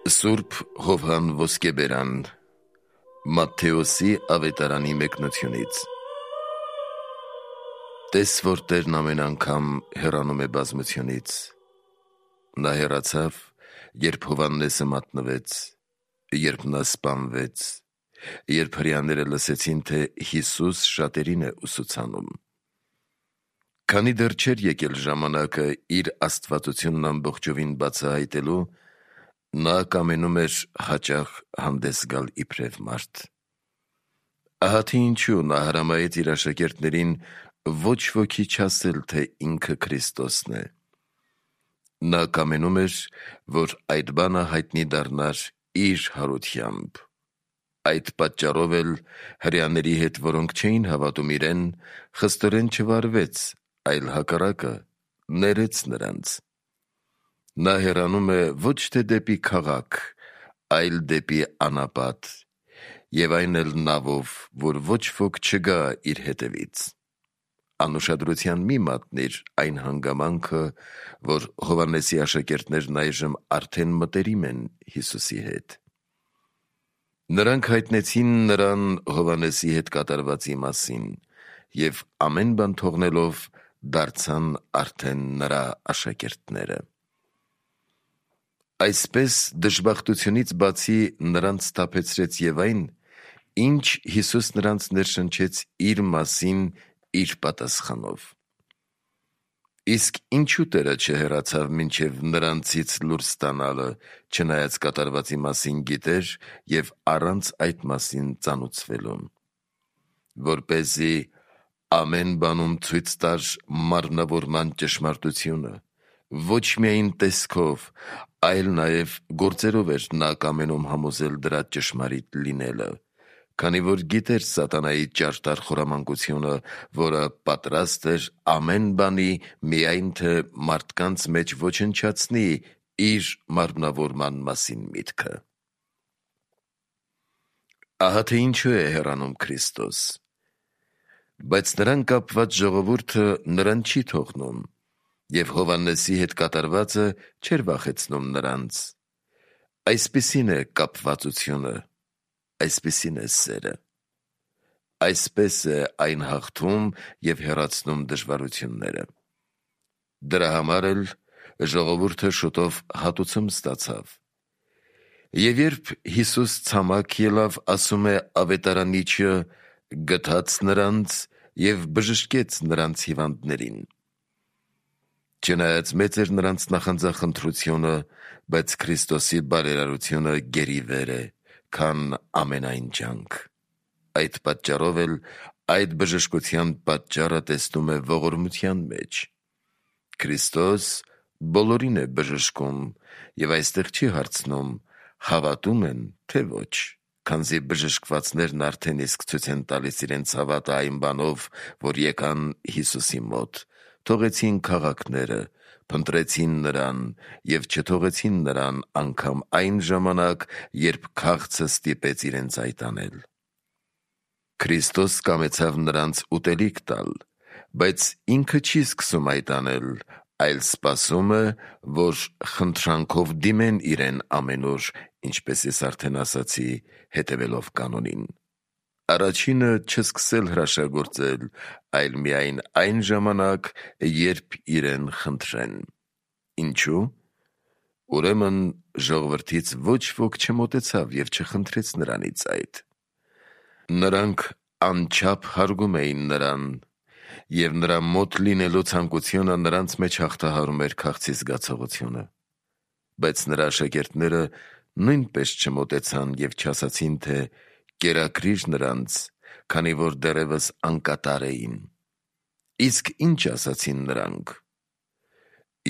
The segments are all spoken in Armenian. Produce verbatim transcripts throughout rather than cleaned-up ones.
Սուրբ Հովհան Ոսկեբերան Մատթեոսի ավետարանի մեկնությունից Տես որ Տերն ամեն անգամ հեռանում է բազմությունից, նա հեռացավ, երբ Հովհաննեսը մատնվեց, երբ նա սպանվեց, երբ հրեաները լսեցին, թե Հիսուս շատերին է ուսուցանում։ Քանի դեռ չէր եկել ժամանակը իր աստվածությունն ամբողջովին բացահայտելու, նա կամենում էր հաճախ հանդես գալ իբրև մարդ։ Ահա թե ինչու նա հրամայեց իր աշակերտներին ոչ ոքի չասել, թե ինքը Քրիստոսն է։ Նա կամենում էր, որ այդ բանը հայտնի դառնար իր հարությամբ։ Այդ պատճառով էլ հրեաների հետ, որոնք չէին հավատում իրեն, խստորեն չվարվեց, այլ հակառակը, ներեց նրանց։ Նա հեռանում է ոչ թե դեպի քաղաք, այլ դեպի անապատ, և այն էլ նավով, որ ոչ ոք չգա իր հետևից։ Անուշադրության մի մատնիր այն հանգամանքը, որ Հովհաննեսի աշակերտներն այժմ արդեն մտերիմ են Հիսուսի հետ։ Նրանք հայտնեցին նրան Հովհաննեսի հետ կատարվածի մասին և ամեն բան թողնելով դարձան արդեն նրա աշակերտները։ Այսպես դժբախտությունից բացի նրանց սթափեցրեց և այն, ինչ Հիսուս նրանց ներշնչեց իր մասին իր պատասխանով։ Իսկ ինչու Տերը չհեռացավ մինչև նրանցից լուր ստանալը, չնայած կատարվածի մասին գիտեր և առանց այդ մասին ծանուցվելու, որպեսզի ամեն բանում ցույց տար մարմնավորման ճշմարտությունը, ոչ միայն տեսքով, այլ նաև գործերով էր նա կամենում համոզել դրա ճշմարիտ լինելը, քանի որ գիտեր սատանայի ճարտար խորամանկությունը, որը պատրաստ էր ամեն բանի, միայն թե մարդկանց մեջ ոչնչացնի իր մարմնավորման մասին միտքը։ Ահա թե ինչու է հեռանում Քրիստոս։ Բայց նրան կապված ժողովուրդը նրան չի թողնում, և Հովհաննեսի հետ կատարվածը չէր վախեցնում նրանց։ Այսպիսին է կապվածությունը, այսպիսին է սերը։ Այսպես է այն հաղթում և հեռացնում դժվարությունները։ Դրա համար էլ ժողովուրդը շուտով հատուցում ստացավ։ Եվ երբ Հիսուս ցամաք ելավ, ասում է ավետարանիչը, գթաց նրանց և բժշկեց նրանց հիվանդներին։ Չնայած մեծ էր նրանց նախանձախնդրությունը, բայց Քրիստոսի բարերարությունը գերիվեր է, քան ամենայն ջանք։ Այդ պատճառով էլ այդ բժշկության պատճառը տեսնում է ողորմության մեջ։ Քրիստոս բոլորին է բժշկում և այստեղ չի հարցնում՝ հավատում են, թե ոչ, քանզի բժշկվածներն արդեն իսկ ցույց են տալիս իրենց հավատը այն բանով, որ եկան Հիսուսի մոտ, թողեցին քաղաքները, փնտրեցին նրան և չթողեցին նրան անգամ այն ժամանակ, երբ քաղցը ստիպեց իրենց այդ անել։ Քրիստոս կամեցավ նրանց ուտելիք տալ, բայց ինքը չի սկսում այդ անել, այլ սպասում է, որ խնդրանքով դիմեն իրեն ամեն օր, ինչպես ես արդեն ասացի, հետևելով կանոնին։ Առաջինը չսկսել հրաշագործել, այլ միայն այն ժամանակ, երբ իրեն խնդրեն։ Ինչու՞։ Ուրեմն ժողովրդից ոչ ոք չմոտեցավ և չխնդրեց նրանից այդ։ Նրանք անչափ հարգում էին նրան, և նրա մոտ լինելու ցանկությունը նրանց մեջ հաղթահարում էր քաղցի զգացողությունը։ Բայց նրա աշակերտները նույնպես չմոտեցան և չասացին, թե կերակրիր նրանց, քանի որ դեռևս անկատար էին։ Իսկ ինչ ասացին նրանք։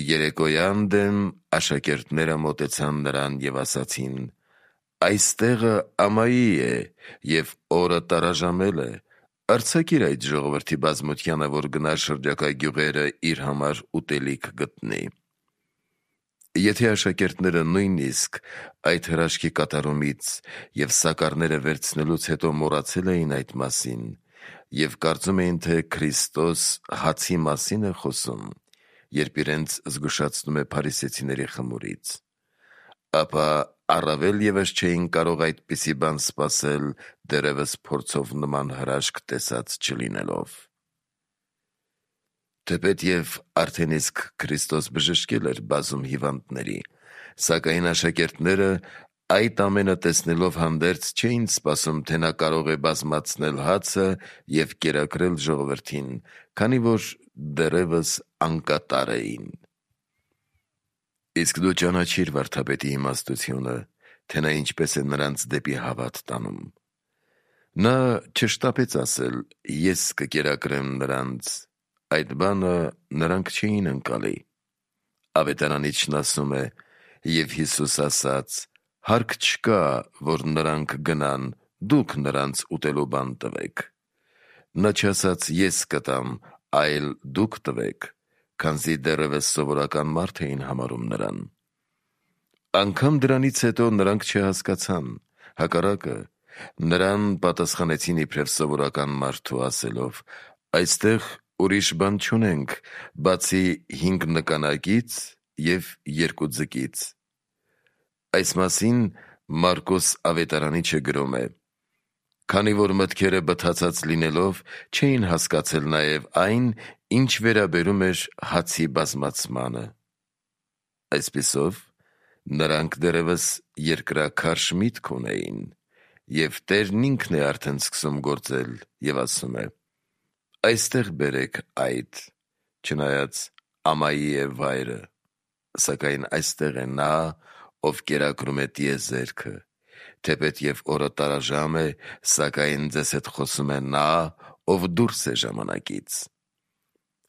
Երեկոյան դեմ աշակերտները մոտեցան նրան և ասացին. «Այս տեղը Ամայի է, և օրը տարաժամել է, արձակիր այդ ժողովրդի բազմությանը, որ գնա շրջակա գյուղերը իր համար ուտելիք գտնի»։ Եթե աշակերտները նույնիսկ այդ հրաշքի կատարումից և սակառները վերցնելուց հետո մոռացել էին այդ մասին և կարծում էին, թե Քրիստոս հացի մասին է խոսում, երբ իրենց զգուշացնում է փարիսեցիների խմորից, ապա առավել ևս չէին կարող այդպիսի բան սպասել, դեռևս փորձով նման հրաշք տեսած չլինելով։ Թեպետև արդեն իսկ Քրիստոս բժշկել էր բազում հիվանդների, սակայն աշակերտները այդ ամենը տեսնելով հանդերձ չէին սպասում, թե նա կարող է բազմացնել հացը և կերակրել ժողովրդին, քանի որ դեռևս անկատար էին։ Իսկ դու ճանաչիր վարդապետի իմաստությունը, թե նա ինչպես է նրանց դեպի հավատ տանում։ Նա չշտապեց ասել. «Ես կկերակրեմ նրանց», այդ բանը նրանք չէին ընկալի։ Ավետարանիչն ասում է. «Եվ Հիսուս ասաց. հարկ չկա, որ նրանք գնան, դուք նրանց ուտելու բան տվեք»։ Նա չասաց. «Ես կտամ», այլ «դուք տվեք», քանզի դեռևս սովորական մարդ էին համարում նրան։ Անգամ դրանից հետո նրանք չհասկացան, հակառակը, նրան պատասխանեցին իբրև սովորական մարդու, ասելով. «Այստեղ ուրիշ բան չունենք, բացի հինգ նկանակից և երկու ձկից»։ Այս մասին Մարկոս ավետարանիչը գրում է. «Քանի որ մտքերը բթացած լինելով չէին հասկացել նաև այն, ինչ վերաբերում էր հացի բազմացմանը»։ Այսպիսով, նրանք դեռևս երկրաքարշ միտք ունեին, և Տերն ինքն է արդեն սկսում գործել և ասում է. «Այստեղ բերեք այդ», չնայած ամայի է վայրը, սակայն այստեղ է նա, ով կերակրում է տիեզերքը, թեպետև օրը տարաժամ է, սակայն ձեզ հետ խոսում է նա, ով դուրս է ժամանակից։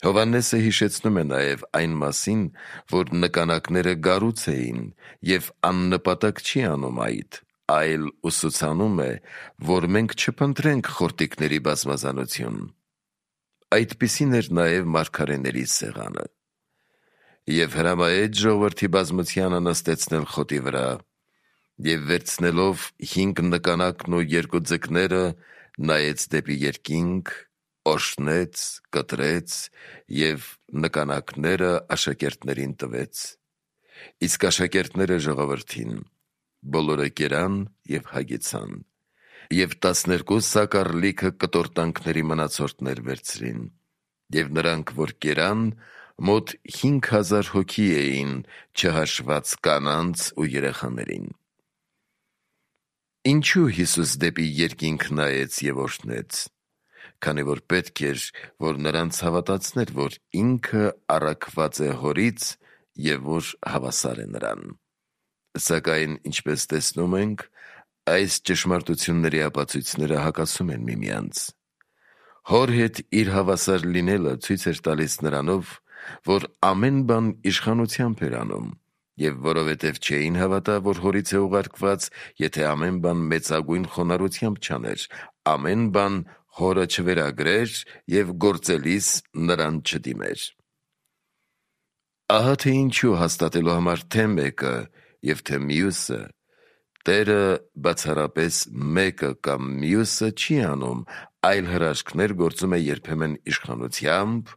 Հովհաննեսը հիշեցնում է նաև այն մասին, որ նկանակները գառուց էին և աննպատակ չի անում այդ, այլ ուսուցանում է, որ մենք չփնտրենք խորտիկների բազմազանություն։ Այդպիսին էր նաև մարգարեների սեղանը։ Եվ հրամայեց ժողովրդի բազմությանը նստեցնել խոտի վրա, և վերցնելով հինգ նկանակն ու երկու ձկները, նայեց դեպի երկինք, օրհնեց, կտրեց և նկանակները աշակերտներին տվեց։ Իսկ աշակերտները ժողովրդին, բոլորը կերան և հագեցան, և տասներկու սակար լիքը կտորտանքների մնացորդներ վերցրին, և նրանք, որ կերան, մոտ հինգ հազար հոգի էին, չհաշված կանանց ու երեխաներին։ Ինչու Հիսուս դեպի երկինք նայեց և օրհնեց։ Քանի որ պետք էր, որ նրանց հավատացներ, որ ինքը առաքված է հորից և որ հավասար է նրան։ Սակայն, ինչպես տեսնում ենք, այս ճշմարտությունների ապացույցները հակասում են միմյանց։ Հոր հետ իր հավասար լինելը ցույց էր տալիս նրանով, որ ամեն բան իշխանությամբ էր անում, և որովհետև չէին հավատա, որ հորից է ուղարկված, եթե ամեն բան մեծագույն խոնարհությամբ չաներ, ամեն բան հորը չվերագրեր և գործելիս նրան չդիմեր։ Ահա թե ինչու հաստատելու համար թե մեկը և թե մյուսը, Տերը բացառապես մեկը կամ մյուսը չի անում, այլ հրաշքներ գործում է երբեմն իշխանությամբ,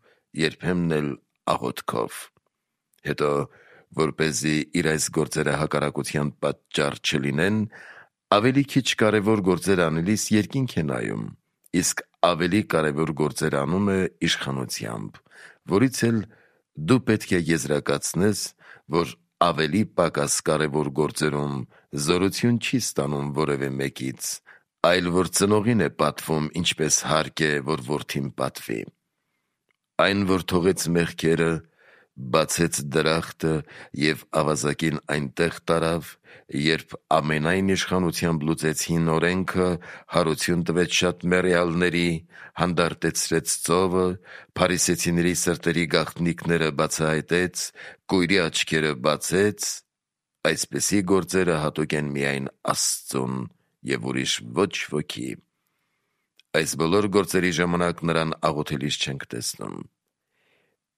երբեմն էլ աղոթքով։ Հետո, որպեսզի իր այս գործերը հակառակության պատճառ չլինեն, ավելի քիչ կարևոր գործեր անելիս երկինք է նայում, իսկ ավելի կարևոր գործեր անում է իշխանությամբ, որից էլ դու պետք է եզրակացնես, որ ավելի պակաս կարևոր գործերում զորություն չի ստանում որևէ մեկից, այլ որ ծնողին է պատվում, ինչպես հարկ է, որ որդին պատվի։ Այն, որ թողեց մեղքերը, բացեց դրախտը և ավազակին այնտեղ տարավ, երբ ամենայն իշխանությամբ լուծեցին օրենքը, հարություն տվեց շատ մեռյալների, հանդարտեցրեց ծովը, փարիսեցիների սրտերի գաղտնիքները բացահայտեց, կույրի աչքերը բացեց, այսպիսի գործերը հատուկ են միայն Աստծուն և ուրիշ ոչ ոքի։ Այս բոլոր գործերի ժամանակ նրան աղոթելիս չենք տեսնում։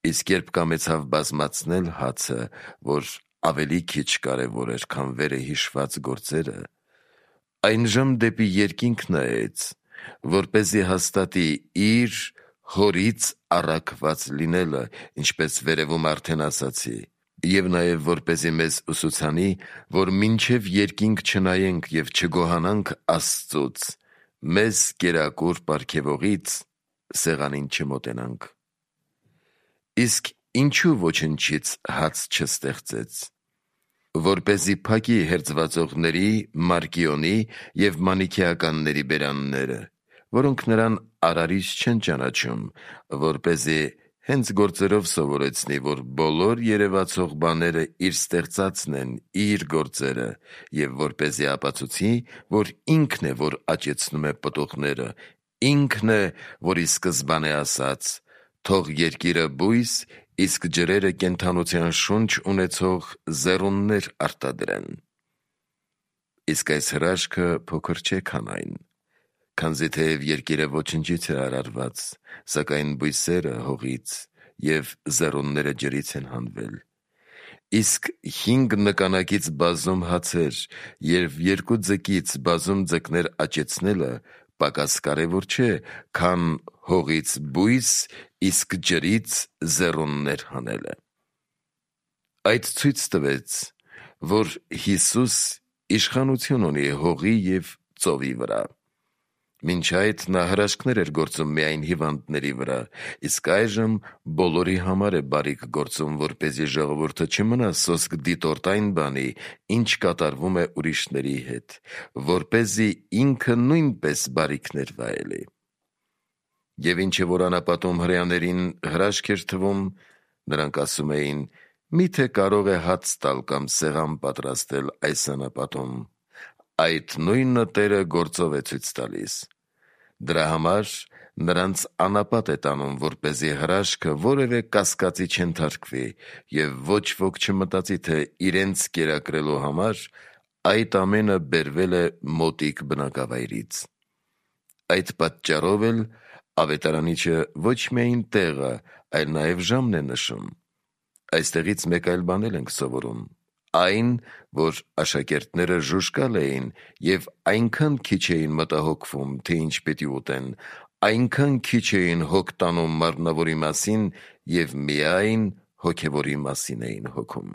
Իսկ երբ կամեցավ բազմացնել հացը, որ ավելի քիչ կարևոր էր, քան վերը հիշված գործերը, այնժամ դեպի երկինք նայեց, որպեսզի հաստատի իր հորից առաքված լինելը, ինչպես վերևում արդեն ասացի, Եվ նաև որպեսզի մեզ ուսուցանի, որ մինչև երկինք չնայենք և չգոհանանք Աստծուց, մեզ կերակուր պարգևողից սեղանին չմոտենանք։ Իսկ ինչու ոչնչից հաց չստեղծեց, որպեսզի փակի հերձվածողների, Մարկիոնի և Մանիքեականների բերանները, որոնք նրան արարիչ չեն ճանաչում, որպեսզի հենց գործերով սովորեցնի, որ բոլոր երևացող բաները իր ստեղծածն են, իր գործերը, և որպեսզի ապացուցի, որ ինքն է, որ աճեցնում է պտուղները, ինքն է, որ ի սկզբանե ասաց. «Թող երկիրը բույս, իսկ ջրերը կենդանության շունչ ունեցող ձեռուններ արտադրեն»։ Իսկ այս հրաշքը փոքր չէ, քան այն, քանզի թեև երկիրը ոչնչից է արարված, սակայն բույսերը հողից և ձեռունները ջրից են հանվել։ Իսկ հինգ նկանակից բազում հացեր և երկու ձկից բազում ձկներ աճեցնելը պակաս կարևոր չէ, քան հողից բույս, իսկ ջրից ձեռուններ հանելը։ Այդ ցույց տվեց, որ Հիսուս իշխանություն ունի հողի և ծովի վրա։ Մինչ այդ նա հրաշքներ էր գործում միայն հիվանդների վրա, իսկ այժմ բոլորի համար է բարիք գործում, որպեսզի ժողովուրդը չմնա սոսկ դիտորդ այն բանի, ինչ կատարվում է ուրիշների հետ, որպեսզի ինքը նույնպես բարիքներ վայելի։ Եվ ինչ որ անապատում հրեաներին հրաշք էր թվում, նրանք ասում էին. «Միթե կարող է հաց տալ կամ սեղան պատրաստել այս անապատում, այդ նույնը Տերը գործով է ցույց տալիս»։ Դրա համար նրանց անապատ է տանում, որպեսզի հրաշքը որևէ կասկածի չենթարկվի, և ոչ ոք չմտածի, թե իրենց կերակրելու համար այդ ամենը բերվել է մոտիկ բնակավայրից։ Այդ պատճառով էլ ավետարանիչը ոչ միայն տեղը, այլ նաև ժամն է նշում։ Այստեղից մեկ այլ բան էլ ենք սովորում. այն, որ աշակերտները ժուժկալ էին և այնքան քիչ էին մտահոգվում, թե ինչ պիտի ուտեն, այնքան քիչ էին հոգ տանում մարմնավորի մասին և միայն հոգևորի մասին էին հոգում։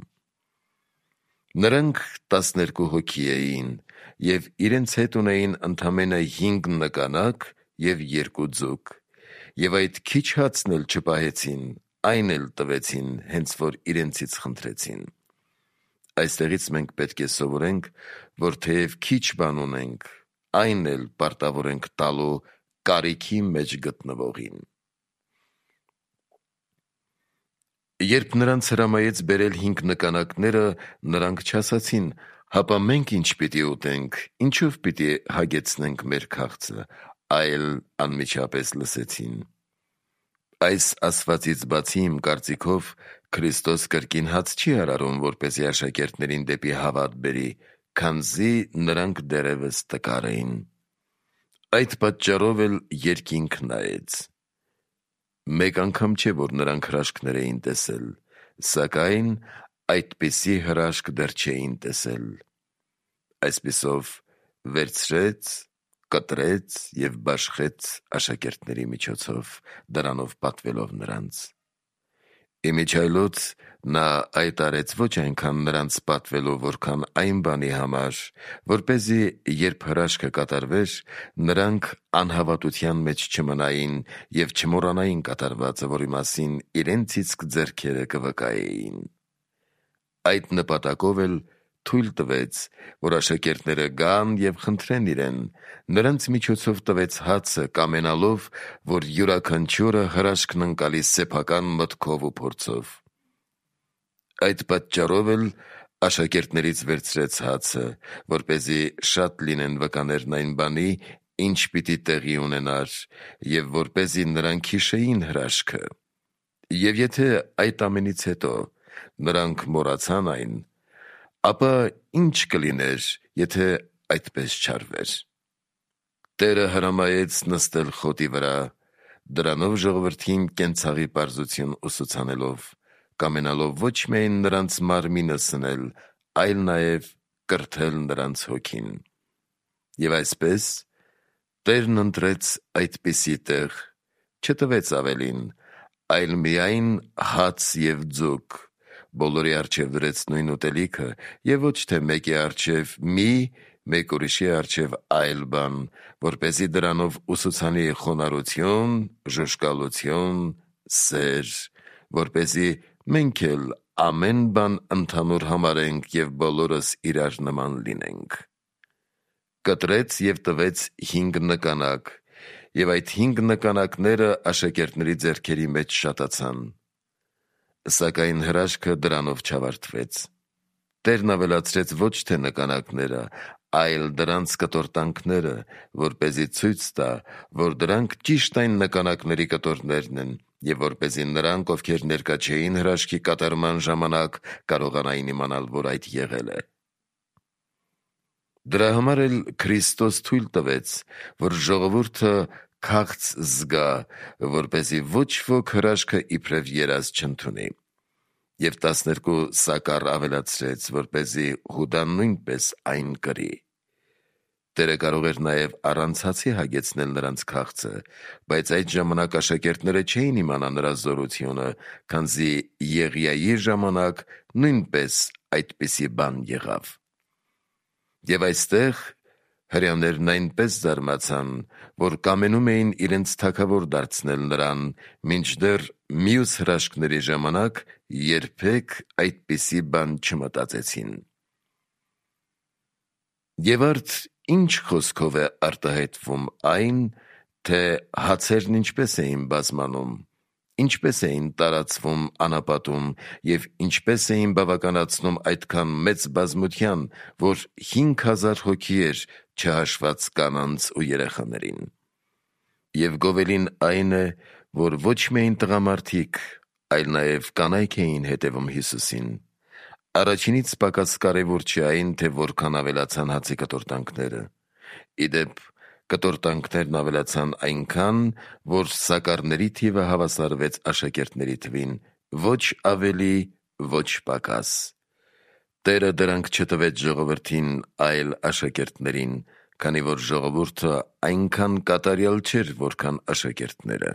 Նրանք տասներկու հոգի էին և իրենց հետ ունեին ընդամենը հինգ նկանակ և երկու ձուկ, և այդ քիչ հացն էլ չպահեցին, այն էլ տվեցին, հենց որ իրենցից խնդրեցին։ Այստեղից մենք պետք է սովորենք, որ թեև քիչ բան ունենք, այն էլ պարտավոր ենք տալու կարիքի մեջ գտնվողին։ Երբ նրանց հրամայեց բերել հինգ նկանակները, նրանք չասացին. «Հապա մենք ինչ պիտի ուտենք, ինչով պիտի հագեցնենք մեր քաղցը», այլ անմիջապես լսեցին. այս ասվածից բացի, իմ կարծիքով, Քրիստոս կրկին հաց չի արարում, որպեսզի աշակերտներին դեպի հավատ բերի, քանզի նրանք դեռևս տկար էին։ Այդ պատճառով էլ երկինք նայեց։ Մեկ անգամ չէ, որ նրանք հրաշքներ էին տեսել, սակայն այդպիսի հրաշք դեռ չէին տեսել։ Այսպիսով վերցրեց, կտրեց և բաշխեց աշակերտների միջոցով, դրանով պատվելով նրանց։ Իմիջիայլոց նա այդ արեց ոչ այնքան նրանց պատվելով, որքան այն բանի համար, որպեսզի երբ հրաշքը կատարվեր, նրանք անհավատության մեջ չմնային և չմոռանային կատարվածը, որի մասին իրենց իսկ ձեռքերը կվկայեին։ Այդ նպատակով էլ թույլ տվեց, որ աշակերտները գան և խնդրեն իրեն, նրանց միջոցով տվեց հացը, կամենալով, որ յուրաքանչյուրը հրաշքն ընկալի սեփական մտքով ու փորձով։ Այդ պատճառով էլ աշակերտներից վերցրեց հացը, որպեսզի շատ լինեն վկաներն այն բանի, ինչ պիտի տեղի ունենար, և որպեսզի նրանք հիշեին հրաշքը։ Եվ եթե այդ ամենից հետո նրանք մոռացան այն, ապա ի՞նչ կլիներ, եթե այդպես չարվեր։ Տերը հրամայեց նստել խոտի վրա, դրանով ժողովրդին կենցաղի պարզություն ուսուցանելով, կամենալով ոչ միայն նրանց մարմինը սնել, այլ նաև կրթել նրանց հոգին։ Եվ այսպես Տերն ընտրեց այդպիսի տեղ, չտվեց ավելին, այլ միայն հաց և ձուկ, բոլորի առջև դրեց նույն ուտելիքը և ոչ թե մեկի առջև մի, մեկ ուրիշի առջև այլ բան, որպեսզի դրանով ուսուցանի խոնարհություն, ժուժկալություն, սեր, որպեսզի մենք էլ ամեն բան ընդհանուր համարենք և բոլորս իրար նման լինենք։ Կտրեց և տվեց հինգ նկանակ, և այդ հինգ նկանակները աշակերտների ձեռքերի մեջ շատացան։ Սակայն հրաշքը դրանով չավարտվեց։ Տերն ավելացրեց ոչ թե նկանակները, այլ դրանց կտորտանքները, որպեսզի ցույց տա, որ դրանք ճիշտ այն նկանակների կտորներն են, և որպեսզի նրանք, ովքեր ներկա չէին հրաշքի կատարման ժամանակ, կարողանային իմանալ, որ այդ եղել է։ Դրա համար էլ Քրիստոս թույլ տվեց, որ ժողովուրդը քաղց զգա, որպեսզի ոչ ոք հրաշքը իբրև երազ չընդունի։ Եվ տասներկու սակար ավելացրեց, որպեսզի Հուդան նույնպես այն կրի։ Տերը կարող էր նաև առանցացի հագեցնել նրանց քաղցը, բայց այդ ժամանակ աշակերտները չէին իմանա նրա զորությունը, քանզի Եղիայի ժամանակ նույնպես այդպիսի բան եղավ։ Եվ այստեղ հրեաներն այնպես զարմացան, որ կամենում էին իրենց թագավոր դարձնել նրան, մինչդեռ մյուս հրաշքների ժամանակ երբեք այդպիսի բան չմտածեցին։ Եվ արդ ինչ խոսքով է արտահայտվում այն, թե հացերն ինչպես էին բազմանում, ինչպես էին տարածվում անապատում և ինչպես էին բավականացնում այդքան մեծ բազմության, որ հինգ հազար հոգի էր, չհաշված կանանց ու երեխաներին։ Եվ գովելին այն է, որ ոչ միայն տղամարդիկ, այլ նաև կանայք էին հետևում Հիսուսին։ Առաջինից պակաս կարևոր չի այն, թե որքան ավելացան հացի կտորտանքները։ Ի դեպ, կտորտանքներն ավելացան այնքան, որ սակարների թիվը հավասարվեց աշակերտների թվին, ոչ ավելի, ոչ պակաս։ Տերը դրանք չտվեց ժողովրդին, այլ աշակերտներին, քանի որ ժողովուրդը այնքան կատարյալ չէր, որքան աշակերտները։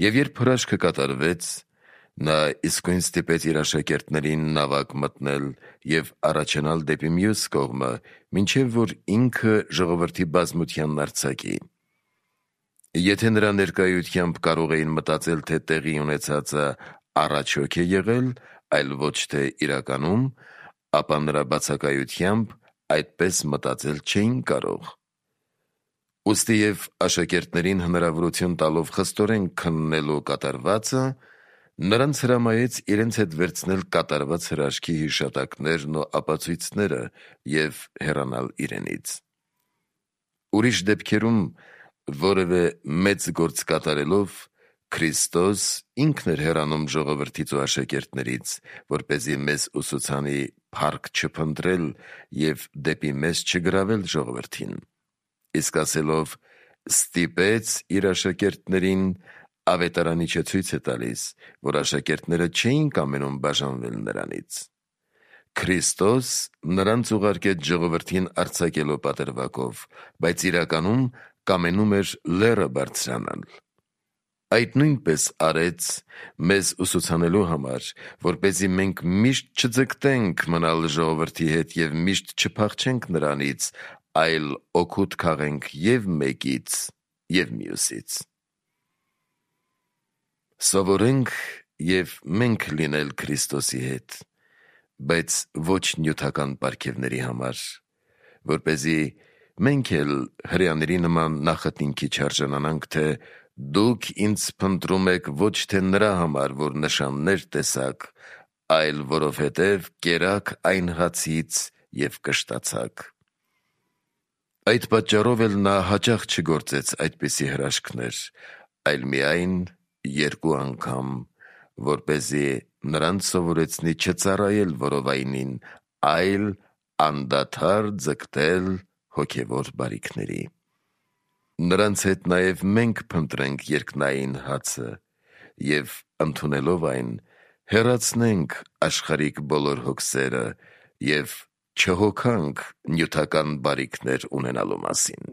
Եվ երբ հրաշքը կատարվեց, նա իսկույն ստիպեց իր աշակերտներին նավակ մտնել և առաջանալ դեպի մյուս կողմը, մինչև որ ինքը ժողովրդի բազմությանն արձակի։ Եթե նրա ներկայությամբ կարող էին մտածել, թե տեղի ունեցածը առաջոք է եղել, այլ ոչ թե իրականում, ապա նրա բացակայությամբ այդպես մտածել չէին կարող։ Ուստի և աշակերտներին հնարավորություն տալով խստորեն քննելու կատարվածը, նրանց հրամայեց իրենց հետ վերցնել կատարված հրաշքի հիշատակներն ու ապացույցները և հեռանալ իրենից։ Ուրիշ դեպքերում որևէ մեծ գործ կատարելով Քրիստոս ինքն էր հեռանում ժողովրդից ու աշակերտներից, որպեսզի մեզ ուսուցանի փառք չփնտրել և դեպի մեզ չգրավել ժողովրդին։ Իսկ ասելով «ստիպեց իր աշակերտներին», ավետարանի չէ ցույց է տալիս, որ աշակերտները չէին կամենում բաժանվել նրանից։ Քրիստոս նրանց ուղարկեց ժողովրդին արձակելու պատրվակով, բայց իրականում կամենում էր լեռը բարձրանալ։ Այդ նույնպես արեց մեզ ուսուցանելու համար, որպեսզի մենք միշտ չձգտենք մնալ ժողովրդի հետ և միշտ չփախչենք նրանից, այլ օգուտ քաղենք և մեկից, և մյուսից։ Սովորենք և մենք լինել Քրիստոսի հետ, բայց ոչ նյութական պարգևների համար, որպեսզի մենք էլ հրեաների նման նախատինքի չարժանանանք, թե դուք ինձ փնտրում եք ոչ թե նրա համար, որ նշաններ տեսաք, այլ որովհետև կերաք այն հացից և կշտացաք։ Այդ պատճառով էլ նա հաճախ չգործեց այդպիսի հրաշքներ, այլ միայն երկու անգամ, որպեսզի նրանց սովորեցնի չծառայել որովայնին, այլ անդադար ձգտել հոգևոր բարիքների։ Նրանց հետ նաև մենք փնտրենք երկնային հացը և ընդունելով այն, հեռացնենք աշխարհիկ բոլոր հոգսերը և չհոգանք նյութական բարիքներ ունենալու մասին։